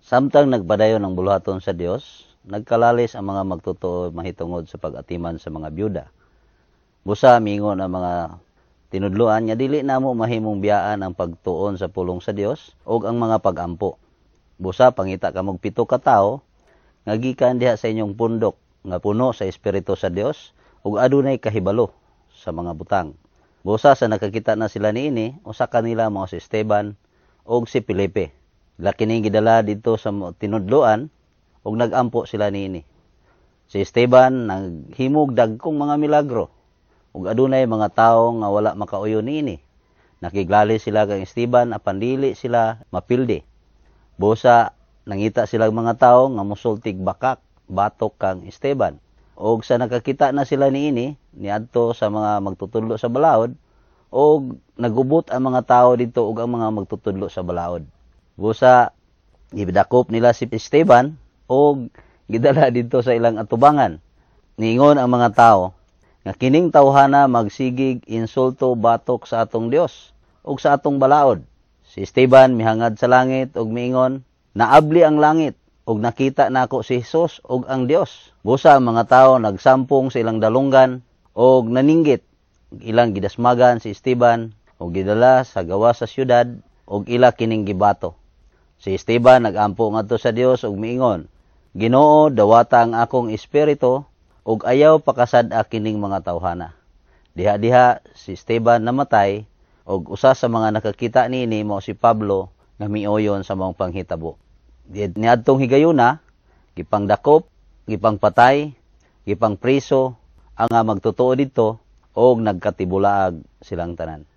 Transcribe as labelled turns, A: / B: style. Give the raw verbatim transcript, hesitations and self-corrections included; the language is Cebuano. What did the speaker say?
A: Samtang nagpadayon ang buluhaton sa Dios, nagkalalis ang mga magtotoo mahitungod sa pag-atiman sa mga byuda. Busa miingon ang mga tinudloan nga dili namo mahimong biyaan ang pagtuon sa pulong sa Dios ug ang mga pagampo. Busa pangita kamog pito ka tawo nga gikan diha sa inyong pundok nga puno sa espiritu sa Dios ug adunay kahibalo sa mga butang. Busa sa nakakita na sila niini, usa kanila mao si Esteban ug si Felipe. Ila kining gidala didto sa tinudloan ug nagampo sila niini. Si Esteban naghimog dagkong mga milagro ug adunay mga tawo nga wala makauyon niini. Nakiglalis sila kang Esteban apan dili sila mapildi. Busa nangita sila mga tawo nga mosultig bakak batok kang Esteban. Og sa nakakita na sila niini niadto sa mga magtutudlo sa balaod og nagubot ang mga tawo didto ug ang mga magtutudlo sa balaod. Busa gidakop nila si Esteban og gidala didto sa ilang atubangan. Niingon ang mga tawo nga kining tawhana magsigig insulto batok sa atong Dios ug sa atong balaod. Si Esteban mihangad sa langit ug miingon, naabli ang langit ug nakita nako si Jesus ug ang Dios. Busa ang mga tawo nagsampong sa ilang dalunggan ug naninggit. Ilang gidasmagan si Esteban ug gidala sa gawas sa syudad ug ila kining gibato. Si Esteban nagampo ngadto sa Dios ug miingon, Ginoo, dawata ang akong espiritu ug ayaw pakasad-a kining mga tawhana. Diha-diha si Esteban namatay ug usa sa mga nakakita niini mao si Pablo nga miuyon sa maong panghitabo. Niadtong higayuna, gipangdakop, gipangpatay, gipangpriso ang magtotoo didto og nagkatibulaag silang tanan.